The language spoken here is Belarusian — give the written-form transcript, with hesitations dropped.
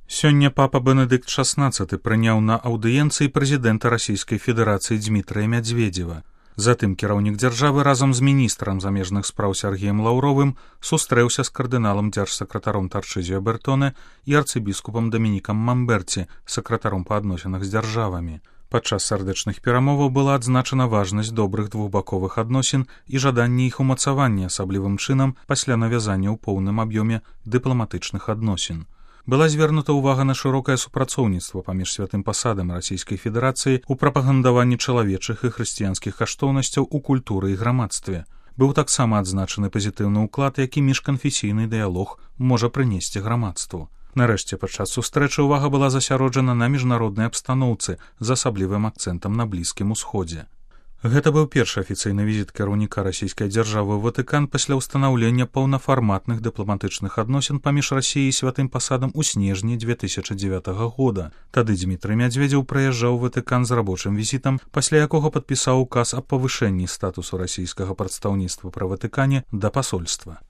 Сёння папа Бенедыкт XVI прыняў на аўдыенцыі прэзідэнта Расійскай Федэрацыі Дзмітрыя Мядзведзева. Затым кіраўнік дзяржавы разам з міністрам замежных спраў Сергеем Лаўровым сустрэўся з кардыналам дзяржсакратаром Тарчызіо Бертоне і арцыбіскупам Дамінікам Мамберці, сакратаром па адносінах з дзяржавамі. Падчас сардэчных перамоваў была адзначана важнасць добрых двухбаковых адносін і жаданне іх умацавання асаблівым чынам пасля навязання ў поўным аб'ёме дыпламатычных адносін. Была звернута ўвага на шырокае супрацоўніцтва паміж святым пасадам Расійскай Федэрацыі ў прапагандаванні чалавечых і хрысціянскіх каштоўнасцяў у культуры і грамадстве. Быў таксама адзначаны пазітыўны ўклад, які міжканфесійны дыялог можа прынесці грамадству. Нарэшце, падчас сустрэчы ўвага была засяроджана на міжнароднай абстаноўцы з асаблівым акцэнтам на Блізкім Усходзе. Гэта быў першы афіцыйны візіт кіраўніка расійскай дзяржавы ў Ватыкан пасля ўстанаўлення паўнафарматных дыпламатычных адносін паміж Расіяй і святым пасадам у снежні 2009 года. Тады Дзмітрый Мядзведзеў прыязджаў у Ватыкан з рабочым візітам, пасля якога падпісаў указ аб павышэнні статусу расійскага прадстаўніцтва пры Ватыкане да пасольства.